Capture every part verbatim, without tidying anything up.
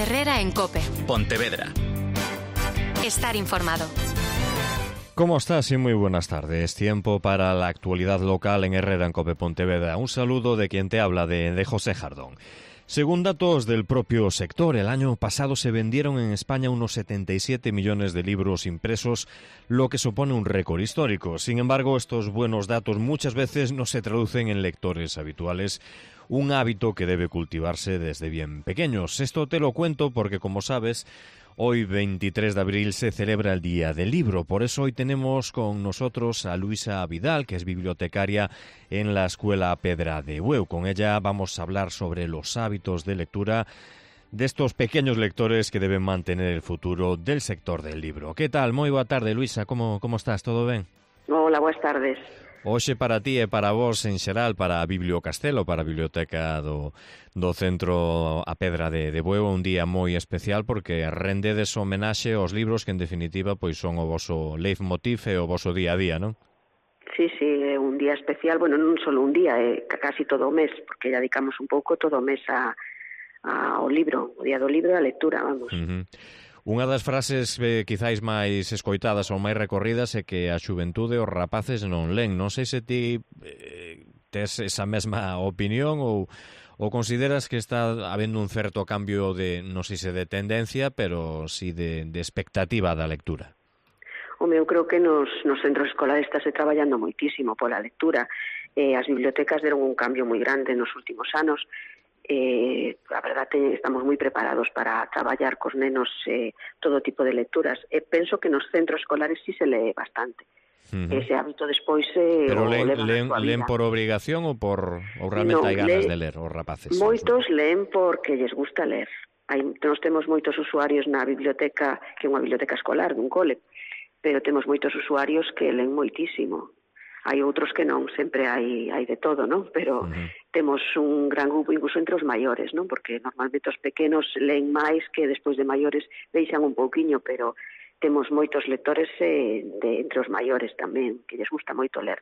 Herrera en COPE. Pontevedra. Estar informado. ¿Cómo estás? Y muy buenas tardes. Tiempo para la actualidad local en Herrera en COPE Pontevedra. Un saludo de quien te habla, de, de José Jardón. Según datos del propio sector, el año pasado se vendieron en España unos setenta y siete millones de libros impresos, lo que supone un récord histórico. Sin embargo, estos buenos datos muchas veces no se traducen en lectores habituales, un hábito que debe cultivarse desde bien pequeños. Esto te lo cuento porque, como sabes, hoy veintitrés de abril se celebra el Día del Libro. Por eso hoy tenemos con nosotros a Luisa Vidal, que es bibliotecaria en la Escuela Pedra de Bueu. Con ella vamos a hablar sobre los hábitos de lectura de estos pequeños lectores que deben mantener el futuro del sector del libro. ¿Qué tal? Moi boa tarde, Luisa. Como, como estás? Todo ben? Hola, boas tardes. Hoxe para ti e para vos en xeral, para a Bibliocastelo, para a Biblioteca do, do Centro A Pedra de, de Bueu, un día moi especial porque rendedes homenaxe aos libros que en definitiva pois son o voso leitmotiv e o voso día a día, non? Sí, sí, é un día especial, bueno, non só un día, é casi todo o mes, porque dedicamos un pouco todo o mes a, a, ao libro, o día do libro e a lectura, vamos. Uh-huh. Unha das frases eh, quizáis máis escoitadas ou máis recorridas é que a xuventude os rapaces non len. Non sei se ti eh, tes esa mesma opinión ou, ou consideras que está habendo un certo cambio de, non sei se de tendencia, pero si de, de expectativa da lectura. Home, eu creo que nos, nos centros escolares está se traballando moitísimo pola lectura. Eh, as bibliotecas deron un cambio moi grande nos últimos anos. Eh, a verdade, estamos moi preparados para traballar cos nenos eh, todo tipo de lecturas. E penso que nos centros escolares sí se lee bastante. Uh-huh. Ese hábito despois eh, pero len, len, len por obrigación ou por ou realmente no, hai ganas le, de ler os rapaces? Moitos leen porque lles gusta ler. Hai, nos temos moitos usuarios na biblioteca, que é unha biblioteca escolar dun cole, pero temos moitos usuarios que len moitísimo. Hai outros que non, sempre hai, hai de todo, non? Pero uh-huh. temos un gran grupo incluso entre os maiores, non? Porque normalmente os pequenos leen máis que despois de maiores deixan un pouquiño, pero temos moitos lectores eh, de, entre os maiores tamén, que lles gusta moito ler.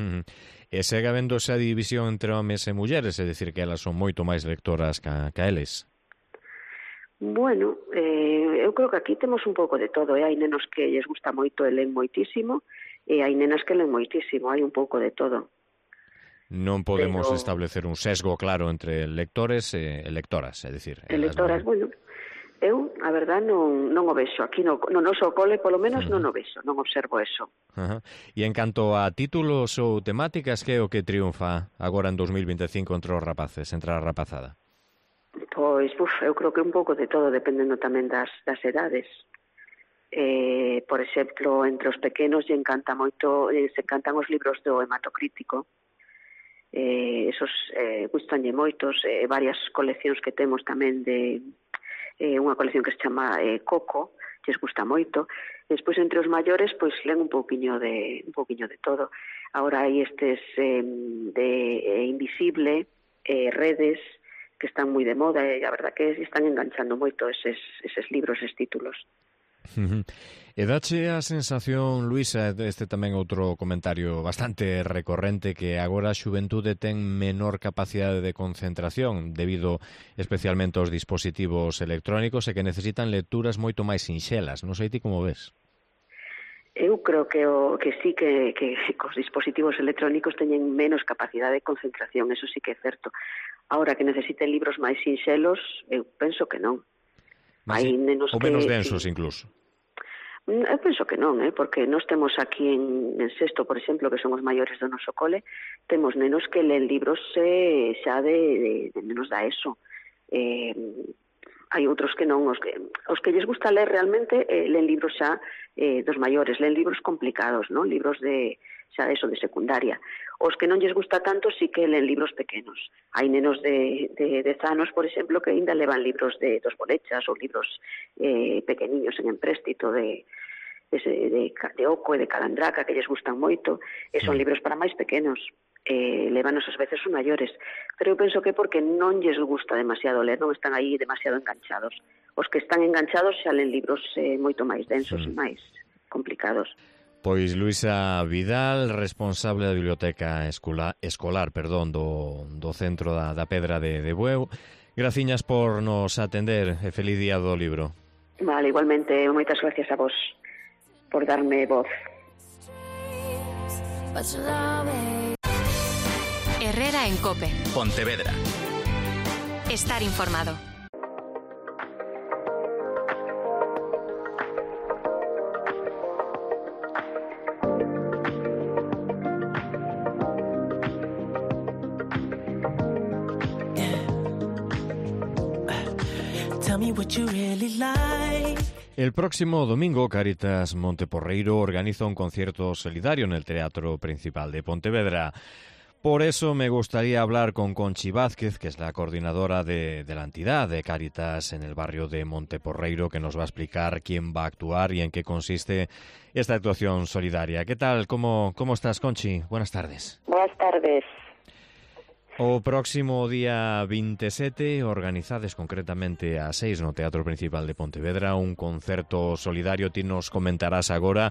Uh-huh. E segue habendo esa división entre homes e mulleres, é dicir, que elas son moito máis lectoras ca, ca eles? Bueno, eh, eu creo que aquí temos un pouco de todo, eh? Hai nenos que lles gusta moito e leen moitísimo, e hai nenas que len moitísimo, hai un pouco de todo. Non podemos Pero... establecer un sesgo claro entre lectores e lectoras, é dicir... E lectoras, non... bueno, eu, a verdad, non, non o vexo. Aquí no, no noso cole, polo menos, uh-huh. non o vexo, non observo eso. Uh-huh. E en canto a títulos ou temáticas, que é o que triunfa agora en dos mil vinte e cinco entre os rapaces, entre a rapazada? Pois, uf, eu creo que un pouco de todo, dependendo tamén das, das edades. Eh, por exemplo, entre os pequenos lle encanta moito, eh, se encantan os libros do hematocrítico, eh, esos eh, gustanlle moitos, eh, varias coleccións que temos tamén de eh, unha colección que se chama eh, Coco, lles gusta moito. Despois entre os maiores pois len un pouquiño de un pouquiño de todo. Agora hai estes eh, de eh, Invisible, eh, Redes, que están moi de moda e a verdad que están enganchando moito eses, eses libros, eses títulos. Uh-huh. E dache a sensación, Luisa, este tamén outro comentario bastante recorrente, que agora a xuventude ten menor capacidade de concentración debido especialmente aos dispositivos electrónicos e que necesitan lecturas moito máis sinxelas. Non sei ti como ves? Eu creo que o que sí que, que os dispositivos electrónicos teñen menos capacidade de concentración, eso sí que é certo. Ahora que necesiten libros máis sinxelos, eu penso que non. Mas, hai nenos ou menos que, densos, sí. incluso. Eu penso que non, eh, porque nós temos aquí en, en sexto, por exemplo, que son os maiores do noso cole, temos nenos que leen libros eh, xa de, de, de menos da ESO. Eh, hai outros que non, os que, os que lles gusta ler realmente eh, leen libros xa eh, dos maiores, leen libros complicados, non? Libros de xa de eso, de secundaria. Os que non lles gusta tanto sí que leen libros pequenos. Hai nenos de, de dez anos, por exemplo, que ainda levan libros de dos bolechas ou libros eh, pequeniños en empréstito de, de, de, de Oco e de Calandraca, que lles gustan moito, e son libros para máis pequenos. Eh, levanos ás veces os maiores, pero eu penso que porque non lles gusta demasiado ler, non están aí demasiado enganchados. Os que están enganchados xa len libros eh, moito máis densos sí. e máis complicados. Pois Luisa Vidal, responsable da Biblioteca Escolar, escolar perdón, do, do Centro da, da Pedra de, de Bueu, Graciñas por nos atender e feliz día do libro. Vale, igualmente, moitas gracias a vos por darme voz. Herrera en COPE. Pontevedra. Estar informado. El próximo domingo, Cáritas Monteporreiro organiza un concierto solidario en el Teatro Principal de Pontevedra. Por eso me gustaría hablar con Conchi Vázquez, que es la coordinadora de, de la entidad de Cáritas en el barrio de Monteporreiro, que nos va a explicar quién va a actuar y en qué consiste esta actuación solidaria. ¿Qué tal? ¿Cómo, cómo estás, Conchi? Buenas tardes. Buenas tardes. O próximo día veintisiete organizades concretamente a seis no Teatro Principal de Pontevedra un concerto solidario. Ti nos comentarás agora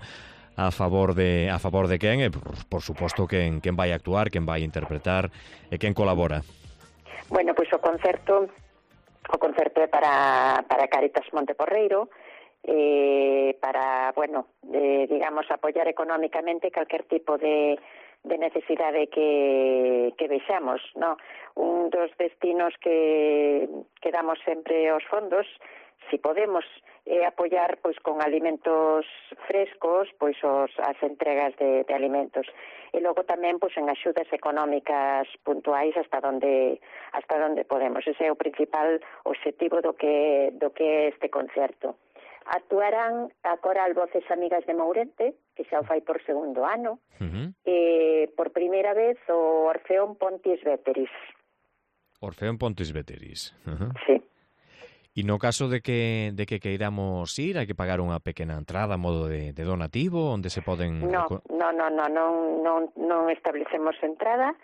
a favor de a favor de quen e, por, por suposto, quen, quen vai actuar, quen vai interpretar e quen colabora. Bueno, pois o concerto o concerto é para, para Cáritas Monteporreiro, eh, para, bueno, eh, digamos, apoiar económicamente calquer tipo de de necesidade que, que vexamos, no? Un dos destinos que, que damos sempre aos fondos, si podemos, é apoiar pois con alimentos frescos, pois os, as entregas de, de alimentos. E logo tamén pois en axudas económicas puntuais hasta onde hasta onde podemos. Ese é o principal obxectivo do que do que é este concerto. Actuarán a Coral Voces Amigas de Mourente, que xa o fai por segundo ano, uh-huh. e por primeira vez o Orfeón Pontis Veteris. Orfeón Pontis Veteris. Uh-huh. Sí. E no caso de que de que queiramos ir, hai que pagar unha pequena entrada a modo de, de donativo, onde se poden... No, no, no, no, non, non, non establecemos entrada,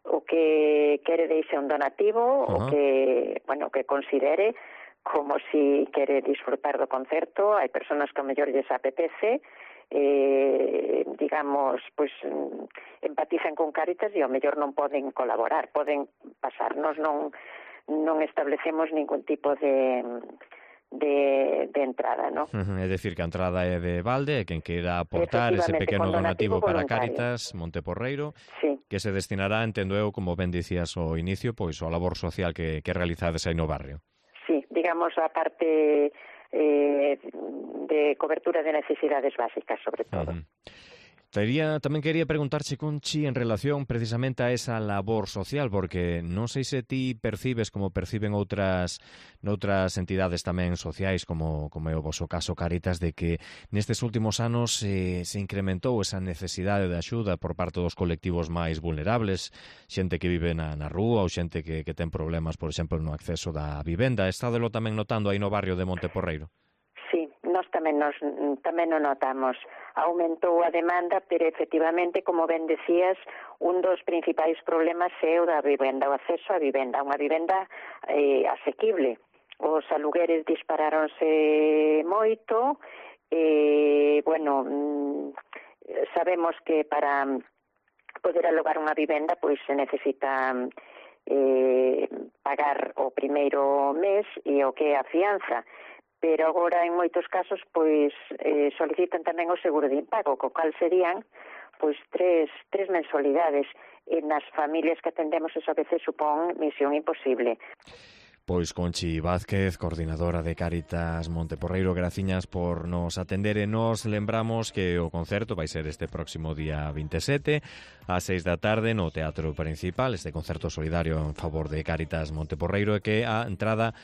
o que quere deixe un donativo, uh-huh. o que, bueno, que considere como si quere disfrutar do concerto. Hai persoas que ao mellor lles apetece, eh, digamos, pois empatizan con Cáritas e ao mellor non poden colaborar, poden pasarnos, non non establecemos ningún tipo de de, de entrada, ¿no? Uh-huh. É dicir, que a entrada é de balde, e quen queira aportar ese pequeno donativo, donativo para Cáritas Monteporreiro, sí. que se destinará, entendo eu, como ben dicías ao inicio, pois ao labor social que, que realizades aí no barrio. Sí, digamos a parte eh, de cobertura de necesidades básicas, sobre todo. Uh-huh. Tería, tamén quería preguntarche, Conchi, en relación precisamente a esa labor social, porque non sei se ti percibes como perciben outras noutras entidades tamén sociais, como, como é o vosso caso Cáritas, de que nestes últimos anos eh, se incrementou esa necesidade de axuda por parte dos colectivos máis vulnerables, xente que vive na, na rúa ou xente que, que ten problemas, por exemplo, no acceso da vivenda. Estádelo tamén notando aí no barrio de Monteporreiro? Sí, nós tamén nos tamén o notamos. Aumentou a demanda, pero efectivamente, como ben decías, un dos principais problemas é o da vivenda, o acceso á vivenda, unha vivenda eh, asequible. Os alugueres disparáronse moito, e, bueno, sabemos que para poder alugar unha vivenda, pois se necesita eh, pagar o primeiro mes e o que é a fianza. Pero agora, en moitos casos, pois eh, solicitan tamén o seguro de impago, co cal serían pois tres, tres mensualidades. E nas familias que atendemos eso a veces supón misión imposible. Pois Conchi Vázquez, coordinadora de Cáritas Monteporreiro, graciñas por nos atender, e nos lembramos que o concerto vai ser este próximo día veintisiete ás seis da tarde no Teatro Principal, este concerto solidario en favor de Cáritas Monteporreiro, e que a entrada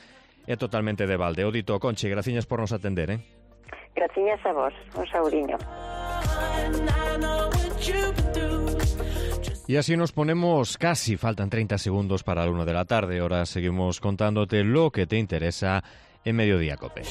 é totalmente de balde. O dito, Conchi, graciñas por nos atender, eh? Graciñas a vos, un saudiño. Y así nos ponemos casi, faltan treinta segundos para la una de la tarde. Ahora seguimos contándote lo que te interesa en Mediodía Cope.